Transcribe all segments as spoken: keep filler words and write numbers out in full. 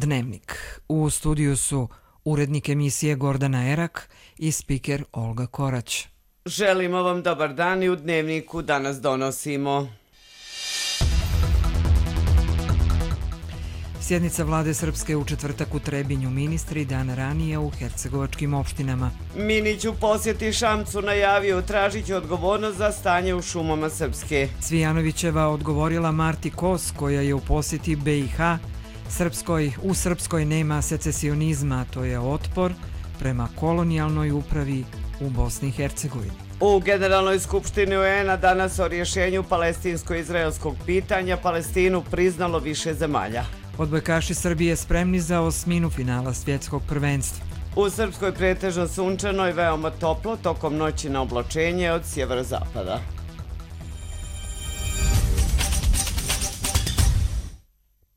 Dnevnik. U studiju su urednik emisije Gordana Erak i spiker Olga Korać. Želimo vam dobar dan i u Dnevniku danas donosimo. Sjednica vlade Srpske u četvrtak u Trebinju, ministri dan ranije u hercegovačkim opštinama. Minić u posjeti Šamcu najavio tražit će odgovornost za stanje u šumama Srpske. Cvijanovićeva odgovorila Marti Kos koja je u posjeti be i ha. Srpskoj, u Srpskoj nema secesionizma, to je otpor prema kolonijalnoj upravi u Bosni i Hercegovini. U Generalnoj skupštini U En-a danas o rješenju palestinsko-izraelskog pitanja Palestinu priznalo više zemalja. Odbojkaši Srbije spremni za osminu finala svjetskog prvenstva. U Srpskoj pretežno sunčano i veoma toplo tokom noći na oblačenje od sjeverozapada.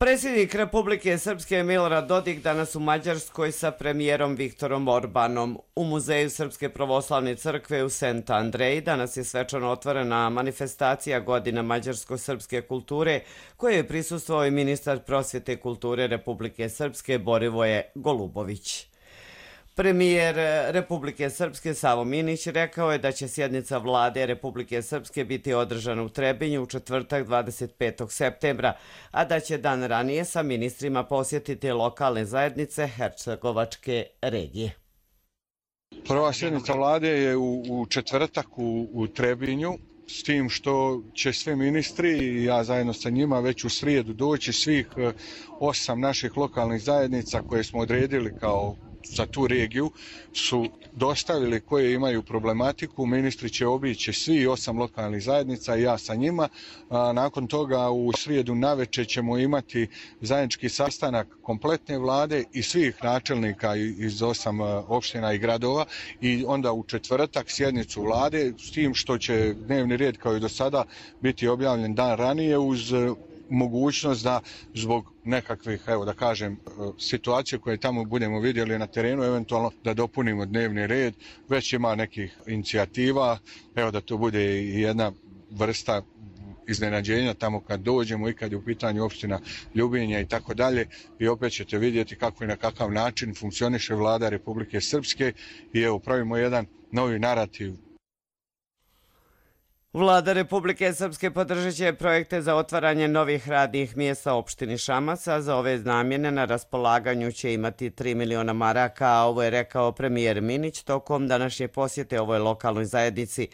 Predsjednik Republike Srpske Milorad Dodik danas u Mađarskoj sa premijerom Viktorom Orbanom. U Muzeju Srpske pravoslavne crkve u Sent Andreji danas je svečano otvorena manifestacija Godina mađarsko-srpske kulture koje je prisustvovao i ministar prosvjete kulture Republike Srpske Borivoje Golubović. Premijer Republike Srpske Savo Minić rekao je da će sjednica vlade Republike Srpske biti održana u Trebinju u četvrtak dvadeset petog septembra, a da će dan ranije sa ministrima posjetiti lokalne zajednice hercegovačke regije. Prva sjednica vlade je u, u četvrtak u, u Trebinju, s tim što će svi ministri i ja zajedno sa njima već u srijedu doći svih osam naših lokalnih zajednica koje smo odredili kao za tu regiju su dostavili koje imaju problematiku. Ministri će obići svi osam lokalnih zajednica i ja sa njima. A nakon toga u srijedu navečer ćemo imati zajednički sastanak kompletne vlade i svih načelnika iz osam opština i gradova i onda u četvrtak sjednicu vlade s tim što će dnevni red kao i do sada biti objavljen dan ranije uz mogućnost da zbog nekakvih, evo da kažem, situacije koje tamo budemo vidjeli na terenu, eventualno da dopunimo dnevni red. Već ima nekih inicijativa, evo da to bude i jedna vrsta iznenađenja tamo kad dođemo i kad je u pitanju opština Ljubinja i tako dalje. I opet ćete vidjeti kako i na kakav način funkcioniše vlada Republike Srpske i evo pravimo jedan novi narativ. Vlada Republike Srpske podržat će projekte za otvaranje novih radnih mjesta opštini Šamac, a za ove namjene na raspolaganju će imati tri miliona maraka, a ovo je rekao premijer Minić tokom današnje posjete ovoj lokalnoj zajednici.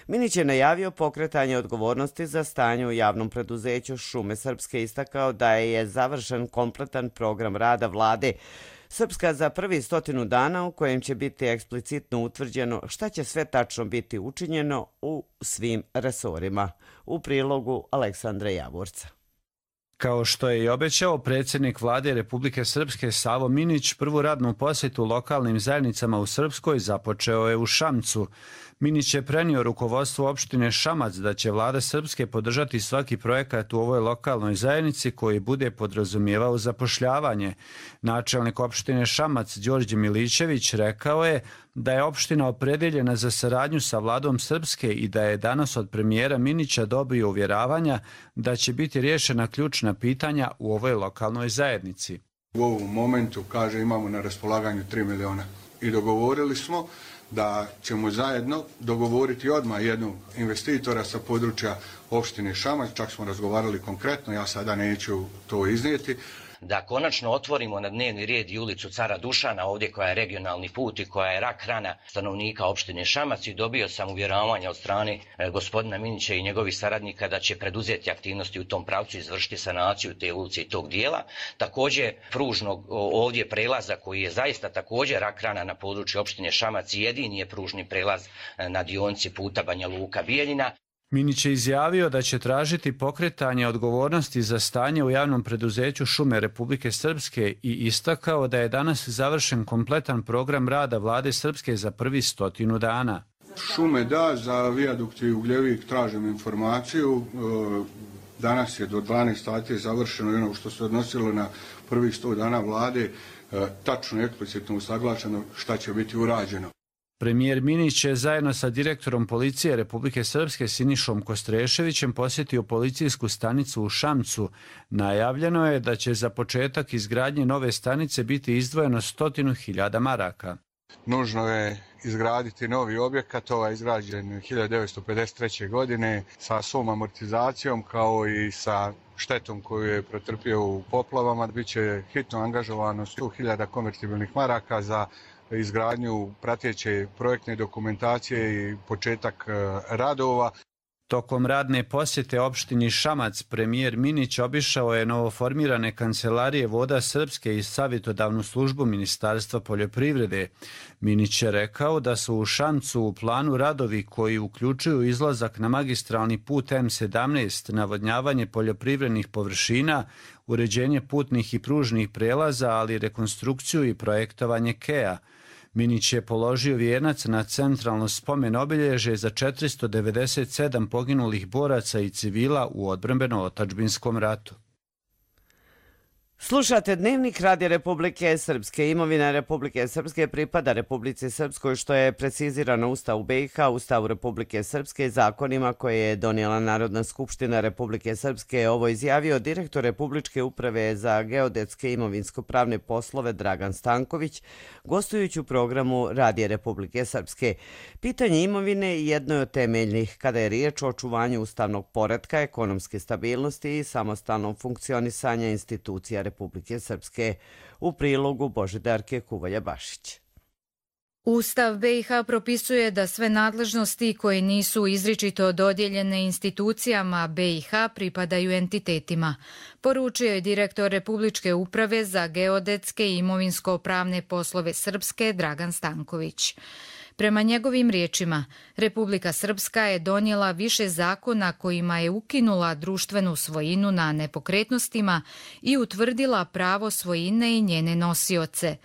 Minić je najavio pokretanje odgovornosti za stanje u javnom preduzeću Šume Srpske, istakao da je završen kompletan program rada vlade Srpska za prvi stotinu dana u kojem će biti eksplicitno utvrđeno šta će sve tačno biti učinjeno u svim resorima. U prilogu Aleksandra Javorca. Kao što je i obećao, predsjednik vlade Republike Srpske Savo Minić prvu radnu posjetu lokalnim zajednicama u Srpskoj započeo je u Šamcu. Minić je prenio rukovodstvu opštine Šamac da će vlada Srpske podržati svaki projekat u ovoj lokalnoj zajednici koji bude podrazumijevao zapošljavanje. Načelnik opštine Šamac Đorđe Milićević rekao je da je opština opredjeljena za saradnju sa vladom Srpske i da je danas od premijera Minića dobio uvjeravanja da će biti riješena ključna pitanja u ovoj lokalnoj zajednici. U ovom momentu, kaže, imamo na raspolaganju tri miliona i dogovorili smo da ćemo zajedno dogovoriti odmah jednog investitora sa područja opštine Šamac, čak smo razgovarali konkretno, ja sada neću to iznijeti. Da konačno otvorimo na dnevni red i ulicu Cara Dušana, ovdje koja je regionalni put i koja je rak rana stanovnika opštine Šamac, i dobio sam uvjeravanja od strane e, gospodina Minića i njegovih saradnika da će preduzeti aktivnosti u tom pravcu i izvršiti sanaciju te ulice i tog dijela. Također pružnog ovdje prelaza koji je zaista također rak rana na području opštine Šamac i jedini je pružni prelaz na dionici puta Banja Luka Bijeljina. Minić je izjavio da će tražiti pokretanje odgovornosti za stanje u javnom preduzeću Šume Republike Srpske i istakao da je danas završen kompletan program rada vlade Srpske za prvi stotinu dana. Šume da, za vijadukt i Ugljevik tražim informaciju. Danas je do dvanaest sati završeno ono što se odnosilo na prvih sto dana vlade, tačno i eksplicitno usaglašeno šta će biti urađeno. Premijer Minić je zajedno sa direktorom policije Republike Srpske Sinišom Kostreševićem posjetio policijsku stanicu u Šamcu. Najavljeno je da će za početak izgradnje nove stanice biti izdvojeno stotinu hiljada maraka. Nužno je izgraditi novi objekat, ovaj izgrađen hiljadu devetsto pedeset treće. godine sa svom amortizacijom kao i sa štetom koju je pretrpio u poplavama. Biće hitno angažovano sto hiljada konvertibilnih maraka za izgradnju prateće projektne dokumentacije i početak radova. Tokom radne posjete opštini Šamac, premijer Minić obišao je novoformirane kancelarije Voda Srpske i savjetodavnu službu Ministarstva poljoprivrede. Minić je rekao da su u Šamcu u planu radovi koji uključuju izlazak na magistralni put M sedamnaest, navodnjavanje poljoprivrednih površina, uređenje putnih i pružnih prelaza, ali i rekonstrukciju i projektovanje Kea. Minić je položio vijenac na centralno spomen obilježje za četiristo devedeset sedam poginulih boraca i civila u odbrambeno-otadžbinskom ratu. Slušate Dnevnik Radija Republike Srpske. Imovina Republike Srpske pripada Republici Srpskoj, što je precizirano u Ustavu B i H, Ustavu Republike Srpske i zakonima koje je donijela Narodna skupština Republike Srpske. Ovo izjavio direktor Republičke uprave za geodetske i imovinsko-pravne poslove Dragan Stanković, gostujući u programu Radija Republike Srpske. Pitanje imovine jedno je od temeljnih kada je riječ o očuvanju ustavnog poretka, ekonomske stabilnosti i samostalnom funkcionisanja institucija Republike Srpske. U prilogu Božidarke Kuvalja-Bašić. Ustav B i H propisuje da sve nadležnosti koje nisu izričito dodijeljene institucijama B i H pripadaju entitetima, poručio je direktor Republičke uprave za geodetske i imovinsko-pravne poslove Srpske Dragan Stanković. Prema njegovim riječima, Republika Srpska je donijela više zakona kojima je ukinula društvenu svojinu na nepokretnostima i utvrdila pravo svojine i njene nosioce.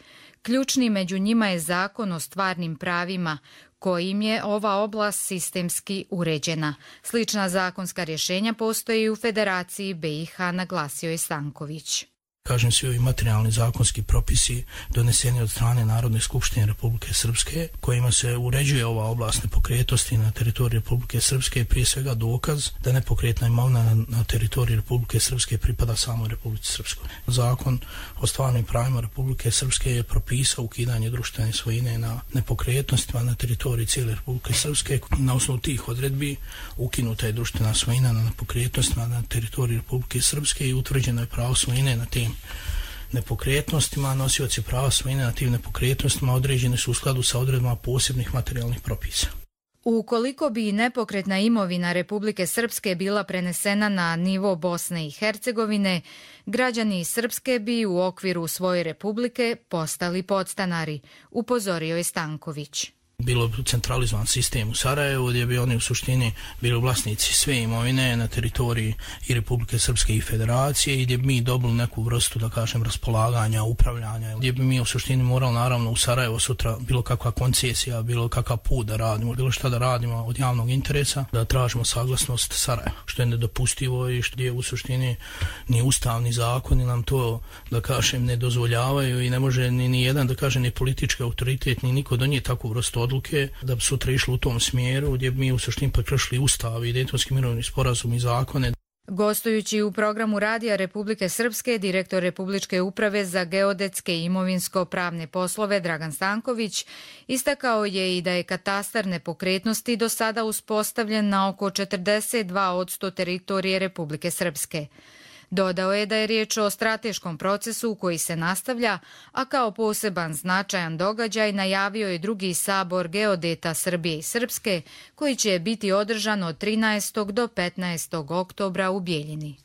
Ključni među njima je Zakon o stvarnim pravima, kojim je ova oblast sistemski uređena. Slična zakonska rješenja postoji u Federaciji B i H, naglasio je Stanković. Kažem, svi ovi materijalni zakonski propisi doneseni od strane Narodne skupštine Republike Srpske, kojima se uređuje ova oblast nepokretnosti na teritoriji Republike Srpske, je prije svega dokaz da nepokretna imovina na, na teritoriji Republike Srpske pripada samoj Republici Srpskoj. Zakon o stvarnim pravima Republike Srpske je propisao ukidanje društvene svojine na nepokretnostima na teritoriji cijele Republike Srpske. Na osnovu tih odredbi ukinuta je društvena svojina na nepokretnostima na teritoriji Republike Srpske i utvrđeno je pravo svojine na tim nepokretnostima. Nosioci prava svojine na tim nepokretnostima određeni su u skladu sa odredbama posebnih materijalnih propisa. Ukoliko bi nepokretna imovina Republike Srpske bila prenesena na nivo Bosne i Hercegovine, građani Srpske bi u okviru svoje republike postali podstanari, upozorio je Stanković. Bilo centralizovan sistem u Sarajevu gdje bi oni u suštini bili vlasnici sve imovine na teritoriji i Republike Srpske i Federacije i gdje bi mi dobili neku vrstu, da kažem, raspolaganja, upravljanja, gdje bi mi u suštini morali naravno u Sarajevo sutra bilo kakva koncesija, bilo kakav put da radimo, bilo šta da radimo od javnog interesa, da tražimo saglasnost Sarajeva, što je nedopustivo i što je u suštini ni ustavni zakoni nam to, da kažem, ne dozvoljavaju i ne može ni, ni jedan, da kažem, ni politički autoritet, ni niko donijeti takvu vrstu odluke da bi sutra išli u tom smjeru gdje bi mi u suštini prekršili ustav i Dejtonski mirovni sporazum i zakone. Gostujući u programu Radija Republike Srpske, direktor Republičke uprave za geodetske i imovinsko-pravne poslove Dragan Stanković istakao je i da je katastar nepokretnosti do sada uspostavljen na oko četrdeset dva posto teritorije Republike Srpske. Dodao je da je riječ o strateškom procesu koji se nastavlja, a kao poseban značajan događaj najavio je drugi sabor geodeta Srbije i Srpske, koji će biti održan od trinaestog do petnaestog oktobra u Bijeljini.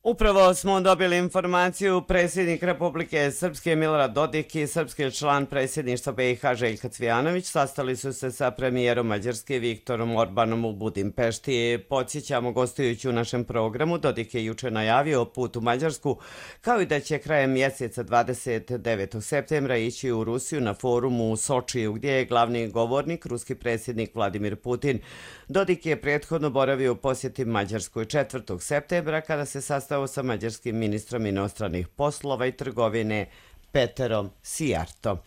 Upravo smo dobili informaciju, predsjednik Republike Srpske Milorad Dodik i srpski član predsjedništva B i H Željko Cvijanović sastali su se sa premijerom Mađarske Viktorom Orbanom u Budimpešti. Podsjećamo, gostujući u našem programu, Dodik je juče najavio put u Mađarsku, kao i da će krajem mjeseca dvadeset devetog septembra ići u Rusiju na forumu u Sočiju, gdje je glavni govornik ruski predsjednik Vladimir Putin. Dodik je prethodno boravio u posjeti Mađarskoj četvrtog septembra kada se sastao sa mađarskim ministrom inostranih poslova i trgovine Peterom Sijartom.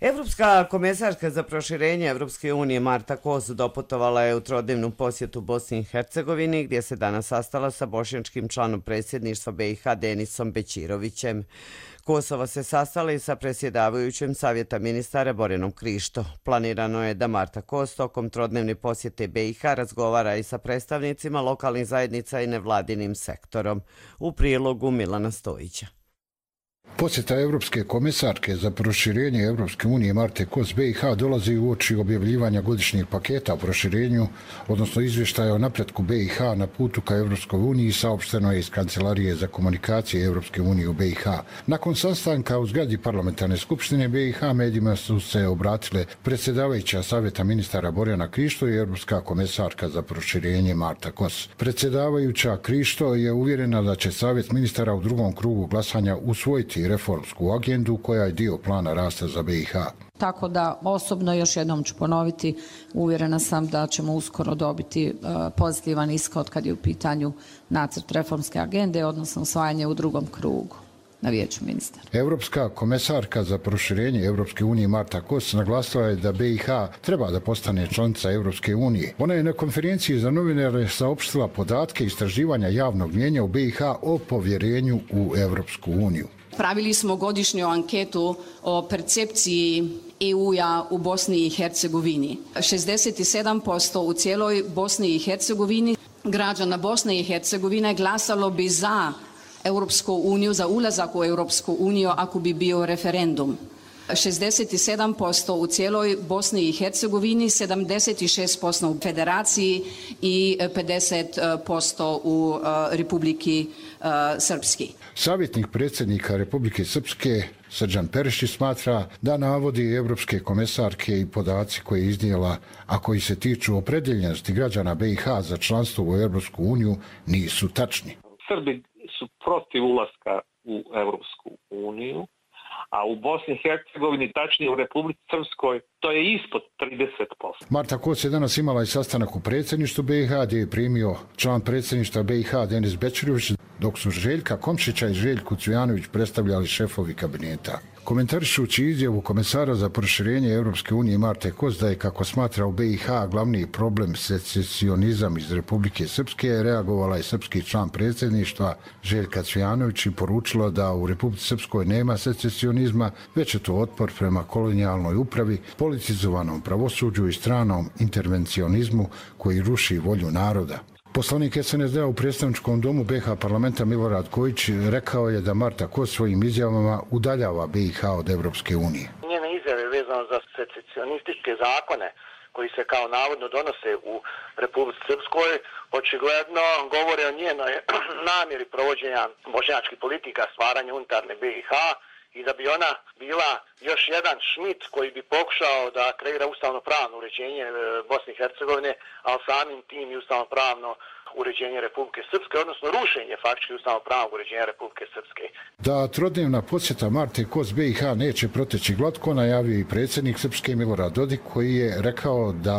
Evropska komesarka za proširenje Evropske unije Marta Kos doputovala je u trodnevnu posjetu Bosni i Hercegovini, gdje se danas sastala sa bošnjačkim članom predsjedništva B i H Denisom Bećirovićem. Kosova se sastala i sa predsjedavajućim Savjeta ministara Borjanom Krišto. Planirano je da Marta Kos tokom trodnevne posjete B i H razgovara i sa predstavnicima lokalnih zajednica i nevladinim sektorom. U prilogu Milana Stojića. Posjeta Evropske komesarke za proširenje Evropske unije Marte Kos B i H dolazi uoči objavljivanja godišnjeg paketa o proširenju, odnosno izvještaja o napretku B i H na putu ka Evropskoj uniji, saopšteno je iz Kancelarije za komunikacije Evropske unije u B i H. Nakon sastanka u zgradi parlamentarne skupštine B i H medijima su se obratile predsjedavajuća Savjeta ministara Borjana Krišto i Evropska komesarka za proširenje Marta Kos. Predsjedavajuća Krišto je uvjerena da će Savjet ministara u drugom krugu glasanja usvojiti reformsku agendu koja je dio plana rasta za B i H. Tako da osobno, još jednom ću ponoviti, uvjerena sam da ćemo uskoro dobiti pozitivan ishod kad je u pitanju nacrt reformske agende, odnosno usvajanje u drugom krugu na vijeću ministara. Evropska komesarka za proširenje Evropske unije Marta Kos naglasila je da B i H treba da postane članica Evropske unije. Ona je na konferenciji za novinare saopštila podatke istraživanja javnog mnijenja u B i H o povjerenju u Evropsku uniju. Pravili smo godišnju anketu o percepciji E U-a u Bosni i Hercegovini. šezdeset sedam posto u cijeloj Bosni i Hercegovini građana Bosne i Hercegovine glasalo bi za Europsku uniju, za ulazak u Europsku uniju ako bi bio referendum. šezdeset sedam posto u cijeloj Bosni i Hercegovini, sedamdeset šest posto u Federaciji i pedeset posto u Republiki Srpski. Savjetnik predsjednika Republike Srpske Srđan Perišić smatra da navodi evropske komesarke i podaci koje je iznijela, a koji se tiču opredjeljenosti građana B i H za članstvo u Evropsku uniju, nisu tačni. Srbi su protiv ulaska u Evropsku uniju, a u Bosni i Hercegovini, tačnije u Republici Srpskoj, to je ispod trideset posto. Marta Kos je danas imala i sastanak u predsjedništvu B i H, gdje je primio član predsjedništva B i H Denis Bećirović, dok su Željka Komšića i Željku Cvijanović predstavljali šefovi kabineta. Komentarišući izjavu komesara za proširenje Evropske unije Marte Kos da je, kako smatra u B i H, glavni problem secesionizam iz Republike Srpske, reagovala je srpski član predsjedništva Željka Cvijanović i poručila da u Republici Srpskoj nema secesionizma, već je to otpor prema kolonijalnoj upravi, politizovanom pravosuđu i stranom intervencionizmu koji ruši volju naroda. Poslanik S N S D-a u predstavničkom domu B i H parlamenta Milorad Kojić rekao je da Marta Kos svojim izjavama udaljava B i H od Evropske unije. Njene izjave vezano za secesionističke zakone koji se kao navodno donose u Republici Srpskoj očigledno govore o njenoj namjeri provođenja bošnjačkih politika, stvaranja unutarnje B i H, i da bi ona bila još jedan Šmit koji bi pokušao da kreira ustavno-pravno uređenje Bosne i Hercegovine, ali samim tim i ustavno-pravno uređenje Republike Srpske, odnosno rušenje faktički ustavno-pravnog uređenja Republike Srpske. Da trodnevna posjeta Marte Kos B i H neće proteći glatko, najavio i predsjednik Srpske Milorad Dodik, koji je rekao da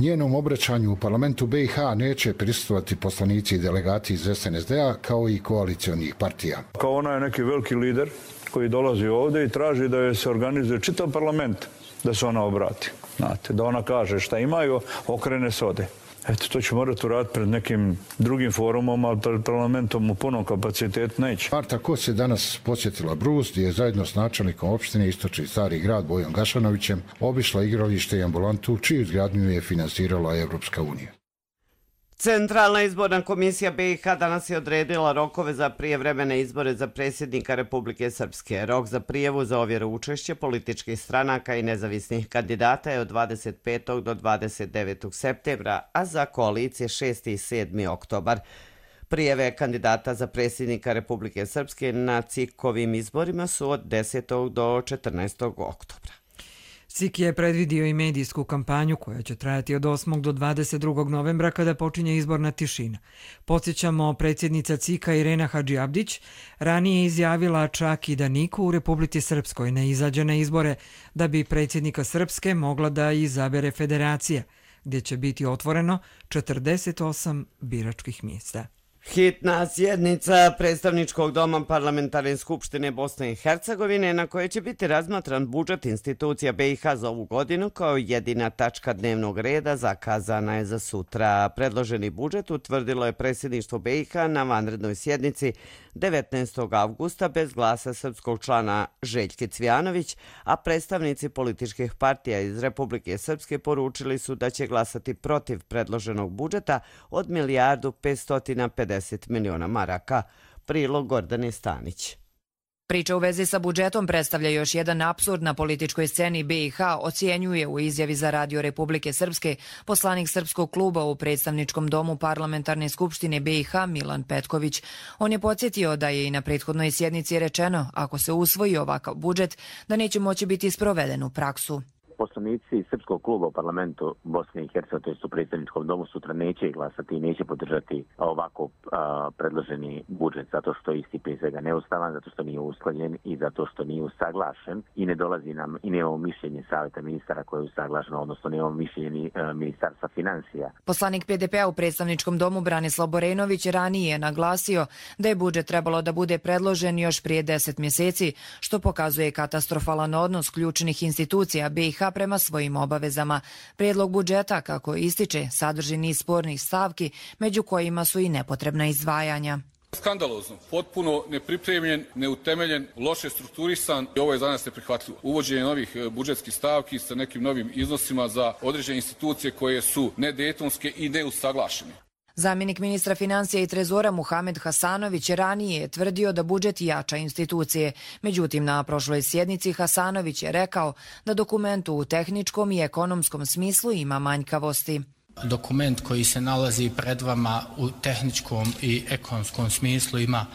njenom obraćanju u parlamentu B i H neće prisustvovati poslanici i delegati iz S N S D-a kao i koalicijonih partija. Kao ona je neki veliki lider koji dolazi ovdje i traži da je se organizuje čitav parlament, da se ona obrati. Znate, da ona kaže šta imaju, okrene se ode. Eto, to će morati uraditi pred nekim drugim forumom, ali pred parlamentom u punom kapacitetu neće. Marta Kos je danas posjetila Brus, gdje je zajedno s načelnikom opštine Istočni Stari grad Bojom Gašanovićem obišla igralište i ambulantu, čiju izgradnju je finansirala Evropska unija. Centralna izborna komisija B i H danas je odredila rokove za prijevremene izbore za predsjednika Republike Srpske. Rok za prijavu za ovjeru učešća političkih stranaka i nezavisnih kandidata je od dvadeset petog do dvadeset devetog septembra, a za koalicije šesti i sedmi oktobar. Prijave kandidata za predsjednika Republike Srpske na C I K-ovim izborima su od desetog do četrnaestog oktobra. S I K je predvidio i medijsku kampanju koja će trajati od osmog do dvadeset drugog novembra kada počinje izborna tišina. Podsjećamo, predsjednica C I K-a Irena Hadžiabdić ranije izjavila čak i da niko u Republici Srpskoj ne izađe na izbore da bi predsjednika Srpske mogla da izabere federacija, gdje će biti otvoreno četrdeset osam biračkih mjesta. Hitna sjednica predstavničkog doma Parlamentarne skupštine Bosne i Hercegovine na kojoj će biti razmatran budžet institucija B i H za ovu godinu kao jedina tačka dnevnog reda zakazana je za sutra. Predloženi budžet utvrdilo je predsjedništvo B i H na vanrednoj sjednici devetnaestog avgusta bez glasa srpskog člana Željke Cvijanović, a predstavnici političkih partija iz Republike Srpske poručili su da će glasati protiv predloženog budžeta od milijardu petsto pedeset miliona maraka. Prilog Gordane Stanić. Priča u vezi sa budžetom predstavlja još jedan apsurd na političkoj sceni B i H, ocjenjuje u izjavi za Radio Republike Srpske poslanik Srpskog kluba u predstavničkom domu Parlamentarne skupštine B i H Milan Petković. On je podsjetio da je i na prethodnoj sjednici rečeno, ako se usvoji ovakav budžet, da neće moći biti sproveden u praksu. Poslanici Srpskog kluba u parlamentu Bosne i Hercegovine, to jest u predsjedničkom domu, sutra neće glasati i neće podržati ovako a, predloženi budžet, zato što je isti prije svega neustavan, zato što nije usklađen i zato što nije usaglašen i ne dolazi nam i nemamo mišljenje savjeta ministara koje je usaglašeno, odnosno nemamo mišljenje a, ministarstva financija. Poslanik P D P-a u predstavničkom domu Branislav Borenović ranije je naglasio da je budžet trebalo da bude predložen još prije deset mjeseci, što pokazuje katastrofalan odnos ključnih institucija B i H prema svojim obavezama. Prijedlog budžeta, kako ističe, sadrži niz spornih stavki, među kojima su i nepotrebna izdvajanja. Skandalozno, potpuno nepripremljen, neutemeljen, loše strukturisan i ovo je za nas neprihvatljivo. Uvođenje novih budžetskih stavki sa nekim novim iznosima za određene institucije koje su nedejtonske i neusaglašene. Zamjenik ministra financija i trezora Muhamed Hasanović ranije je tvrdio da budžet jača institucije. Međutim, na prošloj sjednici Hasanović je rekao da dokument u tehničkom i ekonomskom smislu ima manjkavosti. Dokument koji se nalazi pred vama u tehničkom i ekonomskom smislu ima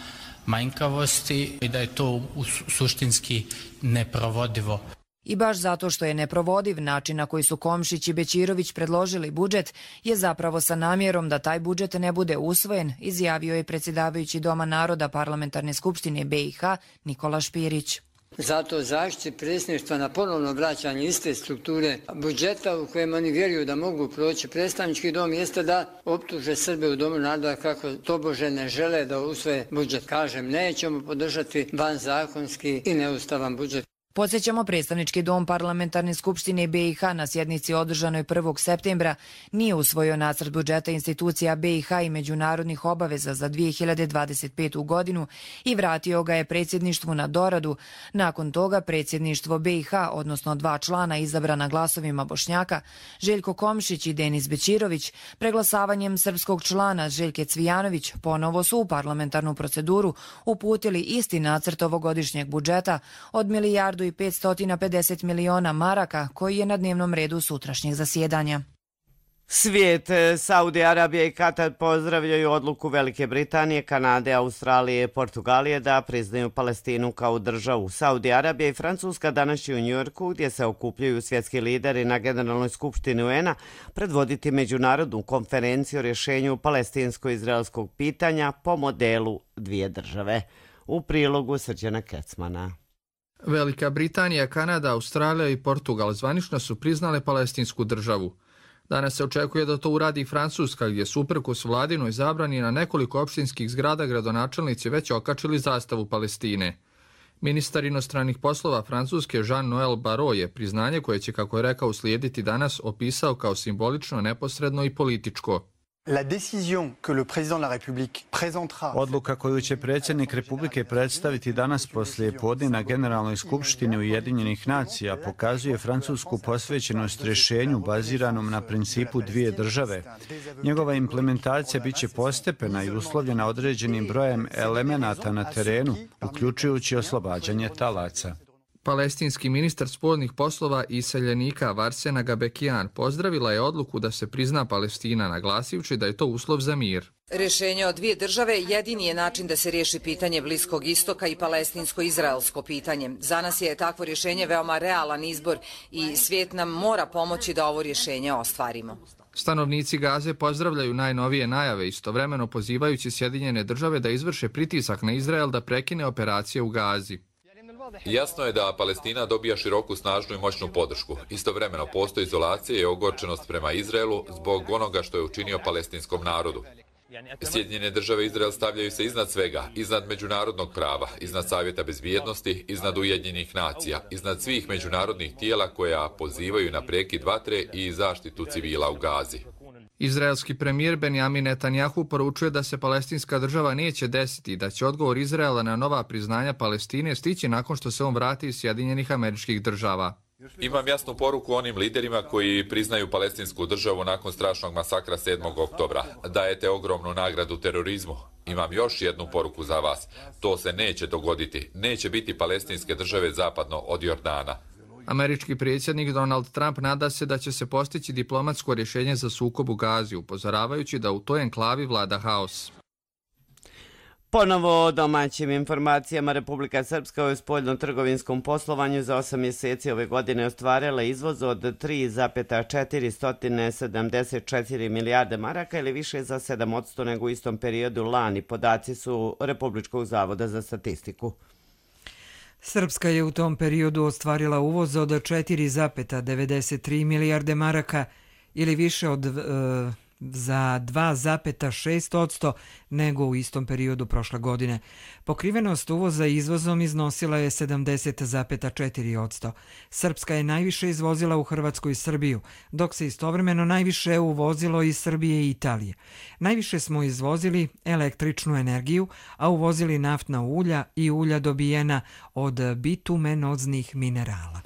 manjkavosti i da je to suštinski neprovodivo. I baš zato što je neprovodiv, način na koji su Komšić i Bećirović predložili budžet je zapravo sa namjerom da taj budžet ne bude usvojen, izjavio je predsjedavajući Doma naroda Parlamentarne skupštine B i H Nikola Špirić. Zato zaštiti predsjedništva na ponovno vraćanje iste strukture budžeta u kojem oni vjeruju da mogu proći predstavnički dom jeste da optuže Srbe u Domu naroda kako tobože ne žele da usvoje budžet. Kažem, nećemo podržati vanzakonski i neustavan budžet. Podsjećamo, predstavnički dom Parlamentarne skupštine B i H na sjednici održanoj prvog septembra nije usvojio nacrt budžeta institucija B i H i međunarodnih obaveza za dvije hiljade dvadeset petu godinu i vratio ga je predsjedništvu na doradu. Nakon toga predsjedništvo B i H, odnosno dva člana izabrana glasovima Bošnjaka, Željko Komšić i Denis Bećirović, preglasavanjem srpskog člana Željke Cvijanović, ponovo su u parlamentarnu proceduru uputili isti nacrt ovogodišnjeg budžeta od milijardu i petsto pedeset miliona maraka koji je na dnevnom redu sutrašnjeg zasjedanja. Svijet, Saudi Arabija i Katar pozdravljaju odluku Velike Britanije, Kanade, Australije i Portugalije da priznaju Palestinu kao državu. Saudi Arabija i Francuska danas će u Njujorku, gdje se okupljaju svjetski lideri na Generalnoj skupštini U N-a, predvoditi međunarodnu konferenciju o rješenju palestinsko-izraelskog pitanja po modelu dvije države. U prilogu Srđana Kecmana. Velika Britanija, Kanada, Australija i Portugal zvanično su priznale palestinsku državu. Danas se očekuje da to uradi i Francuska, gdje su uprkos vladinoj zabrani na nekoliko opštinskih zgrada gradonačelnici već okačili zastavu Palestine. Ministar inostranih poslova Francuske Jean-Noël Barrot je priznanje koje će, kako je rekao, uslijediti danas opisao kao simbolično, neposredno i političko. Odluka koju će predsjednik Republike predstaviti danas poslije podne na Generalnoj skupštini Ujedinjenih nacija pokazuje francusku posvećenost rješenju baziranom na principu dvije države. Njegova implementacija biće postepena i uslovljena određenim brojem elemenata na terenu, uključujući oslobađanje talaca. Palestinski ministar spoljnih poslova i iseljenika Varsena Gabekian pozdravila je odluku da se prizna Palestina, naglasivši da je to uslov za mir. Rješenje od dvije države jedini je način da se riješi pitanje Bliskog istoka i palestinsko-izraelsko pitanje. Za nas je takvo rješenje veoma realan izbor i svijet nam mora pomoći da ovo rješenje ostvarimo. Stanovnici Gaze pozdravljaju najnovije najave, istovremeno pozivajući Sjedinjene države da izvrše pritisak na Izrael da prekine operacije u Gazi. Jasno je da Palestina dobija široku, snažnu i moćnu podršku. Istovremeno postoji izolacija i ogorčenost prema Izraelu zbog onoga što je učinio palestinskom narodu. Sjedinjene države i Izrael stavljaju se iznad svega, iznad međunarodnog prava, iznad Savjeta bezbjednosti, iznad Ujedinjenih nacija, iznad svih međunarodnih tijela koja pozivaju na prekid vatre i zaštitu civila u Gazi. Izraelski premijer Benjamin Netanjahu poručuje da se palestinska država neće desiti i da će odgovor Izraela na nova priznanja Palestine stići nakon što se on vrati iz Sjedinjenih Američkih Država. Imam jasnu poruku onim liderima koji priznaju palestinsku državu nakon strašnog masakra sedmog oktobra. Dajete ogromnu nagradu terorizmu. Imam još jednu poruku za vas. To se neće dogoditi. Neće biti palestinske države zapadno od Jordana. Američki predsjednik Donald Trump nada se da će se postići diplomatsko rješenje za sukob u Gazi, upozoravajući da u toj enklavi vlada haos. Ponovo o domaćim informacijama, Republika Srpska u spoljno-trgovinskom poslovanju za osam mjeseci ove godine ostvarila izvoz od tri zarez četiristo sedamdeset četiri milijarde maraka ili više za sedam posto nego u istom periodu lani. Podaci su Republičkog zavoda za statistiku. Srpska je u tom periodu ostvarila uvoz od četiri zarez devedeset tri milijarde maraka ili više od... E, za dva zarez šest posto nego u istom periodu prošle godine. Pokrivenost uvoza izvozom iznosila je sedamdeset zarez četiri posto. Srpska je najviše izvozila u Hrvatsku i Srbiju, dok se istovremeno najviše uvozilo iz Srbije i Italije. Najviše smo izvozili električnu energiju, a uvozili naftna ulja i ulja dobijena od bitumenoznih minerala.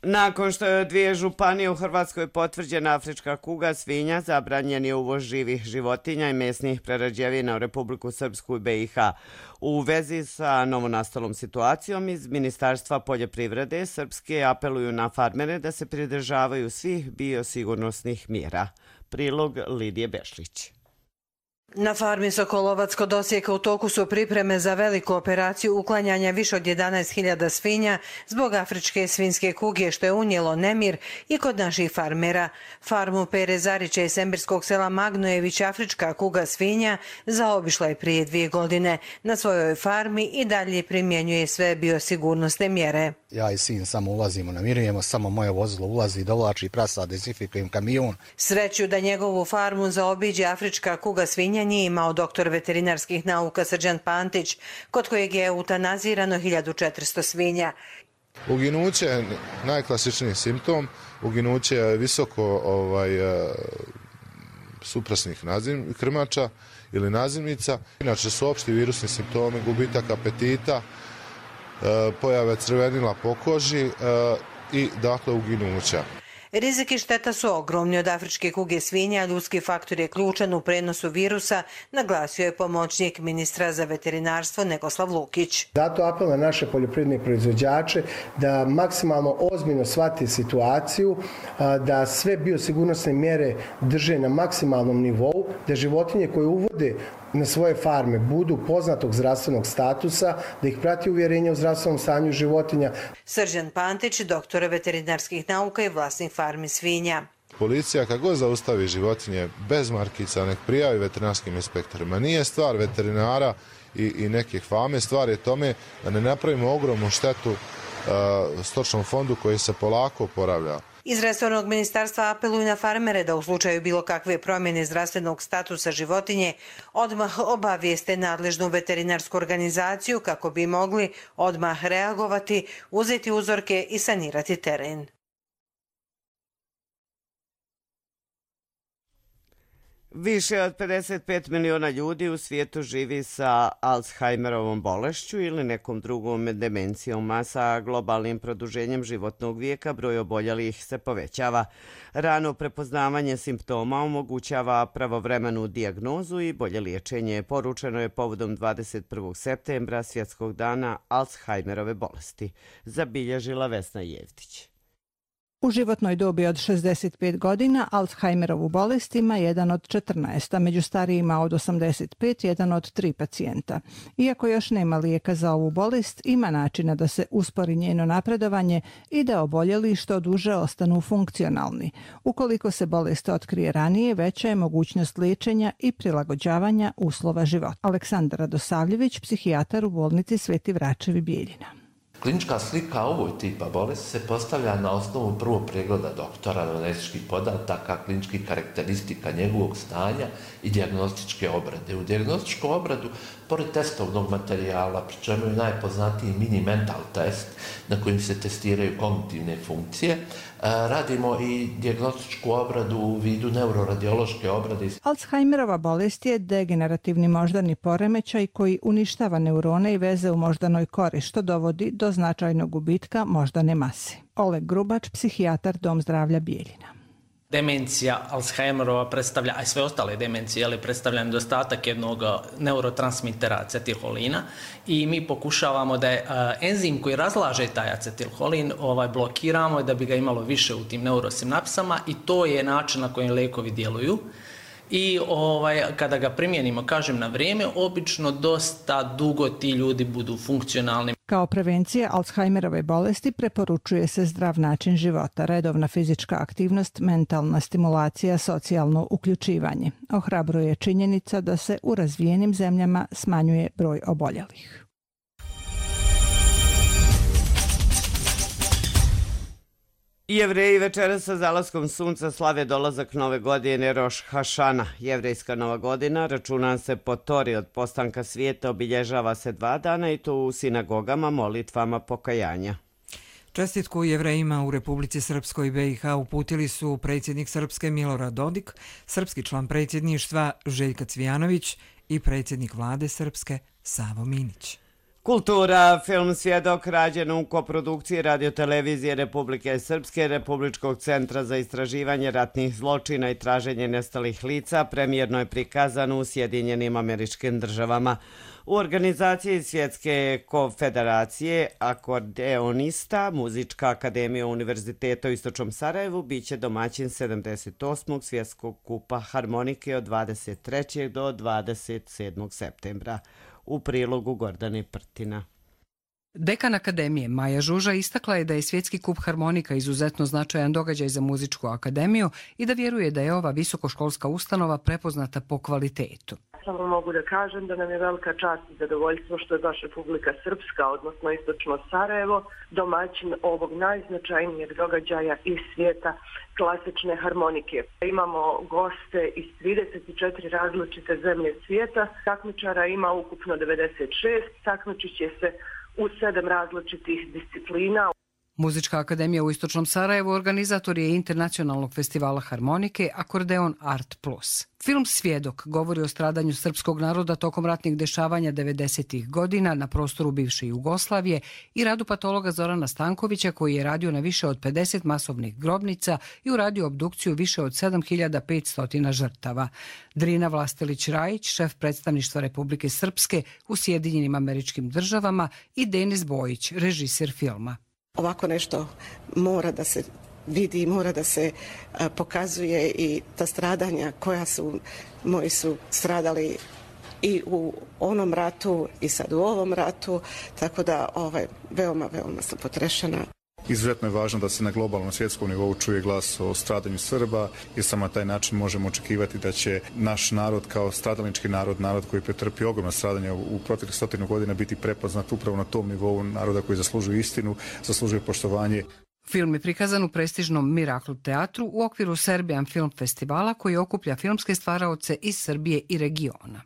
Nakon što je od dvije županije u Hrvatskoj potvrđena afrička kuga svinja, zabranjen je uvoz živih životinja i mesnih prerađevina u Republiku Srpsku i be i ha. U vezi sa novonastalom situacijom iz Ministarstva poljoprivrede Srpske apeluju na farmere da se pridržavaju svih biosigurnosnih mjera. Prilog Lidije Bešlić. Na farmi Sokolovac kod Osijeka u toku su pripreme za veliku operaciju uklanjanja više od jedanaest hiljada svinja zbog afričke svinjske kuge, što je unijelo nemir i kod naših farmera. Farmu Pere Zarića iz Sembirskog sela Magnojević afrička kuga svinja zaobišla je prije dvije godine. Na svojoj farmi i dalje primjenjuje sve biosigurnosne mjere. Ja i sin samo ulazimo, namirujemo, samo moje vozilo ulazi, dovlači prasa, dezinfikujem kamion. Sreću da njegovu farmu zaobiđe afrička kuga svinja nije imao doktor veterinarskih nauka Srđan Pantić, kod kojeg je eutanazirano hiljadu četiristo svinja. Uginuće je najklasičniji simptom. Uginuće je visoko ovaj, suprasnih nazim, krmača ili nazimnica. Inače su opšti virusni simptomi, gubitak apetita, pojave crvenila po koži i dakle uginuća. Rizik i šteta su ogromni od afričke kuge svinja, a ljudski faktor je ključan u prenosu virusa, naglasio je pomoćnik ministra za veterinarstvo Negoslav Lukić. Zato apel na naše poljoprivredne proizvođače da maksimalno ozbiljno shvate situaciju, da sve biosigurnosne mjere drže na maksimalnom nivou, da životinje koje uvode na svoje farme budu poznatog zdravstvenog statusa, da ih prati uvjerenje o zdravstvenom stanju životinja. Srđan Pantić, doktor veterinarskih nauka i vlasnik farmi svinja. Policija kako god zaustavi životinje bez markica, nek prijavi veterinarskim inspektorima. Nije stvar veterinara i, i nekih fame, stvar je tome da ne napravimo ogromnu štetu uh, stočnom fondu koji se polako oporavlja. Iz resornog ministarstva apeluju na farmere da u slučaju bilo kakve promjene zdravstvenog statusa životinje odmah obavijeste nadležnu veterinarsku organizaciju kako bi mogli odmah reagovati, uzeti uzorke i sanirati teren. Više od pedeset pet miliona ljudi u svijetu živi sa Alzheimerovom bolešću ili nekom drugom demencijom, a sa globalnim produženjem životnog vijeka broj oboljelih se povećava. Rano prepoznavanje simptoma omogućava pravovremenu dijagnozu i bolje liječenje. Poručeno je povodom dvadeset prvog septembra, svjetskog dana Alzheimerove bolesti. Zabilježila Vesna Jevtić. U životnoj dobi od šezdeset pet godina Alzheimerovu bolest ima jedan od četrnaest, a među starijima od osamdeset pet jedan od tri pacijenta. Iako još nema lijeka za ovu bolest, ima načina da se uspori njeno napredovanje i da oboljeli što duže ostanu funkcionalni. Ukoliko se bolest otkrije ranije, veća je mogućnost liječenja i prilagođavanja uslova života. Aleksandar Radosavljević, psihijatar u bolnici Sveti Vračevi Bijeljina. Klinička slika ovoj tipa bolesti se postavlja na osnovu prvog pregleda doktora, anamnestičkih podataka, kliničkih karakteristika njegovog stanja i dijagnostičke obrade. U dijagnostičku obradu, pored testovnog materijala, pri čemu je najpoznatiji mini mental test na kojim se testiraju kognitivne funkcije, radimo i dijagnostičku obradu u vidu neuroradiološke obrade. Alzheimerova bolest je degenerativni moždani poremećaj koji uništava neurone i veze u moždanoj kori, što dovodi do značajnog gubitka moždane mase. Oleg Grubač, psihijatar, Dom zdravlja Bijeljina. Demencija Alzheimerova predstavlja, a i sve ostale demencije, ali predstavlja nedostatak jednog neurotransmitera acetilholina i mi pokušavamo da je enzim koji razlaže taj acetilholin ovaj, blokiramo da bi ga imalo više u tim neurosinapsama i to je način na koji lekovi djeluju. I ovaj, kada ga primijenimo, kažem, na vrijeme, obično dosta dugo ti ljudi budu funkcionalni. Kao prevencija Alzheimerove bolesti preporučuje se zdrav način života, redovna fizička aktivnost, mentalna stimulacija, socijalno uključivanje. Ohrabruje činjenica da se u razvijenim zemljama smanjuje broj oboljelih. Jevreji večeras sa zalaskom sunca slave dolazak nove godine Roš Hašana. Jevrejska nova godina računa se po Tori od postanka svijeta, obilježava se dva dana i to u sinagogama molitvama pokajanja. Čestitku Jevrejima u Republici Srpskoj i B i H uputili su predsjednik Srpske Milorad Dodik, srpski član predsjedništva Željka Cvijanović i predsjednik vlade Srpske Savo Minić. Kultura, film Svjedok, rađen u koprodukciji radiotelevizije Republike Srpske, Republičkog centra za istraživanje ratnih zločina i traženje nestalih lica, premijerno je prikazan u Sjedinjenim Američkim Državama. U organizaciji Svjetske konfederacije akordeonista Muzička akademija Univerziteta u Istočnom Sarajevu biće domaćin sedamdeset osmog Svjetskog kupa harmonike od dvadeset trećeg do dvadeset sedmog septembra. U prilogu Gordane Prtina. Dekan Akademije Maja Žuža istakla je da je Svjetski kup harmonika izuzetno značajan događaj za Muzičku akademiju i da vjeruje da je ova visokoškolska ustanova prepoznata po kvalitetu. Samo mogu da kažem da nam je velika čast i zadovoljstvo što je baš Republika Srpska, odnosno Istočno Sarajevo, domaćin ovog najznačajnijeg događaja iz svijeta klasične harmonike. Imamo goste iz trideset četiri različite zemlje svijeta, takmičara ima ukupno devedeset šest, takmičit će se u sedam različitih disciplina. Muzička akademija u Istočnom Sarajevu organizator je internacionalnog festivala harmonike Akordeon Art Plus. Film Svjedok govori o stradanju srpskog naroda tokom ratnih dešavanja devedesetih godina na prostoru bivše Jugoslavije i radu patologa Zorana Stankovića koji je radio na više od pedeset masovnih grobnica i uradio obdukciju više od sedam hiljada petsto žrtava. Drina Vlastelić-Rajić, šef predstavništva Republike Srpske u Sjedinjenim Američkim Državama i Denis Bojić, režiser filma. Ovako nešto mora da se vidi, mora da se pokazuje i ta stradanja koja su, moji su stradali i u onom ratu i sad u ovom ratu, tako da ovaj, veoma, veoma sam potrešena. Izuzetno je važno da se na globalnom svjetskom nivou čuje glas o stradanju Srba i samo na taj način možemo očekivati da će naš narod kao stradalnički narod, narod koji pretrpi ogromna stradanja u proteklih stotinu godina biti prepoznat upravo na tom nivou naroda koji zaslužuju istinu, zaslužuju poštovanje. Film je prikazan u prestižnom Mirakl teatru u okviru Serbian Film Festivala koji okuplja filmske stvaraoce iz Srbije i regiona.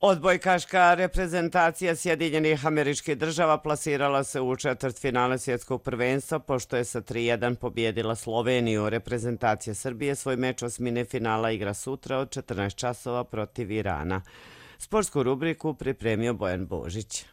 Odbojkaška reprezentacija Sjedinjenih Američkih Država plasirala se u četvrtfinale svjetskog prvenstva pošto je sa tri jedan pobjedila Sloveniju. Reprezentacija Srbije svoj meč osmine finala igra sutra od četrnaest časova protiv Irana. Sportsku rubriku pripremio Bojan Božić.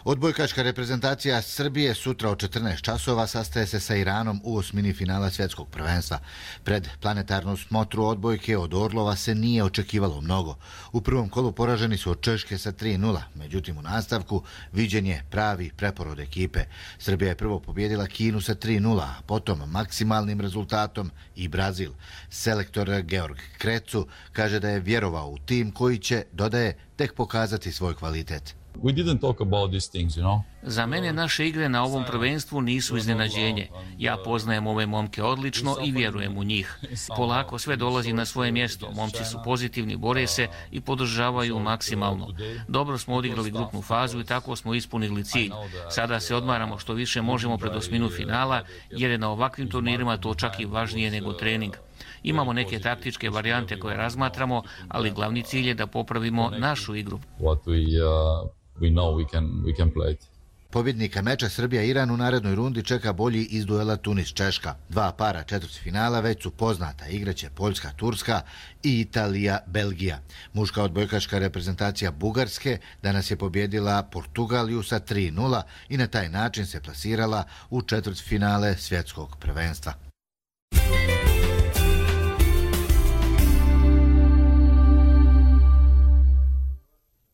Odbojkaška reprezentacija Srbije sutra od četrnaest časova sastaje se sa Iranom u osmini finala svjetskog prvenstva. Pred planetarnu smotru odbojke od Orlova se nije očekivalo mnogo. U prvom kolu poraženi su od Češke sa tri nula, međutim u nastavku viđen je pravi preporod ekipe. Srbija je prvo pobjedila Kinu sa tri nula, a potom maksimalnim rezultatom i Brazil. Selektor Georg Krecu kaže da je vjerovao u tim koji će, dodaje, tek pokazati svoj kvalitet. We didn't talk about these things, you know. Za mene naše igre na ovom prvenstvu nisu iznenađenje. Ja poznajem ove momke odlično i vjerujem u njih. Polako sve dolazi na svoje mjesto. Momci su pozitivni, bore se i podržavaju maksimalno. Dobro smo odigrali grupnu fazu i tako smo ispunili cilj. Sada se odmaramo što više možemo pred osminu finala, jer je na ovakvim turnirima to čak i važnije nego trening. Imamo neke taktičke varijante koje razmatramo, ali glavni cilj je da popravimo našu igru. What we, uh, we know we can, we can play it. Pobjednika meča Srbija-Iran u narednoj rundi čeka bolji iz duela Tunis-Češka. Dva para četvrtfinala već su poznata. Igraće Poljska-Turska i Italija-Belgija. Muška odbojkaška reprezentacija Bugarske danas je pobjedila Portugaliju sa tri nula i na taj način se plasirala u četvrtfinale svjetskog prvenstva.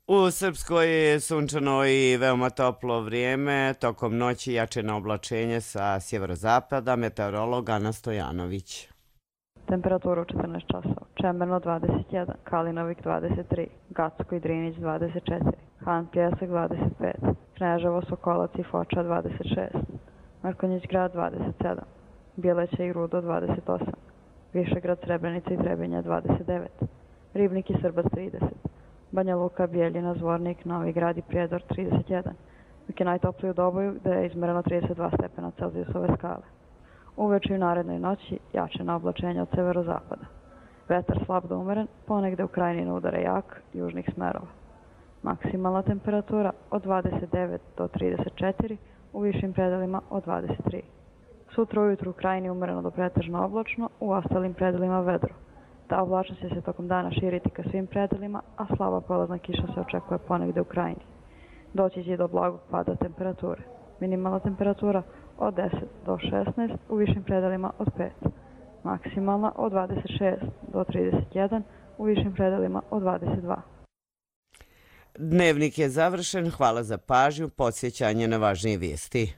U Srpskoj je sunčano i veoma toplo vrijeme, tokom noći jačeno oblačenje sa sjeverozapada, meteorolog Ana Stojanović. Temperatura u četrnaest časova, Čemerno dvadeset jedan, Kalinovik dvadeset tri, Gacko i Drinić dvadeset četiri, Han Pjesak dvadeset pet, Kneževo, Sokolac i Foča dvadeset šest, Mrkonjić grad dvadeset sedam, Bjeleća i Rudo dvadeset osam, Višegrad, Srebrenica i Trebinje dvadeset devet, Ribnik i Srbac trideset, Banja Luka, Bijeljina, Zvornik, Novi Grad i Prijedor trideset jedan, dok je najtopliji u Doboju gde je izmereno trideset dva stepena Celzijusove skale. Uveče i u narednoj noći jačena oblačenja od severozapada. Vetar slab do umeren, ponegde u krajnjini udara jak južnih smerova. Maksimalna temperatura od dvadeset devet do trideset četiri, u višim predelima od dvadeset tri. Sutra ujutru u krajini umereno do pretežno oblačno, u ostalim predelima vedro. Ta oblačnost će se tokom dana širiti ka svim predelima, a slaba polazna kiša se očekuje ponegde u krajini. Doći će do blagog pada temperature. Minimalna temperatura od deset do šesnaest, u višim predelima od pet. Maksimalna od dvadeset šest do trideset jedan, u višim predelima od dvadeset dva. Dnevnik je završen, hvala za pažnju, podsjećanje na važnije vijesti.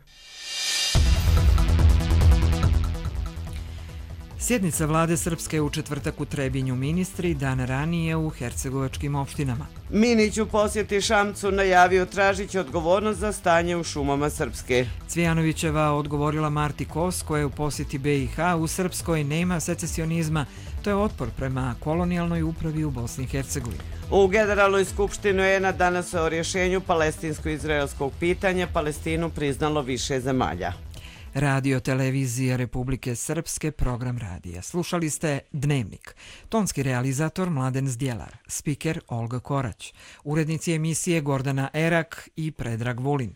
Sjednica vlade Srpske u četvrtak u Trebinju, ministri dan ranije u hercegovačkim opštinama. Minić u posjeti Šamcu najavio tražići odgovornost za stanje u šumama Srpske. Cvijanovićeva odgovorila Marti Kos koja je u posjeti B i H, u Srpskoj nema secesionizma, to je otpor prema kolonijalnoj upravi u Bosni i Hercegovini. U Generalnoj skupštini U En a danas o rješenju palestinsko-izraelskog pitanja Palestinu priznalo više zemalja. Radio Televizija Republike Srpske, program radija. Slušali ste Dnevnik. Tonski realizator Mladen Zdjelar, spiker Olga Korać, urednici emisije Gordana Erak i Predrag Vulin.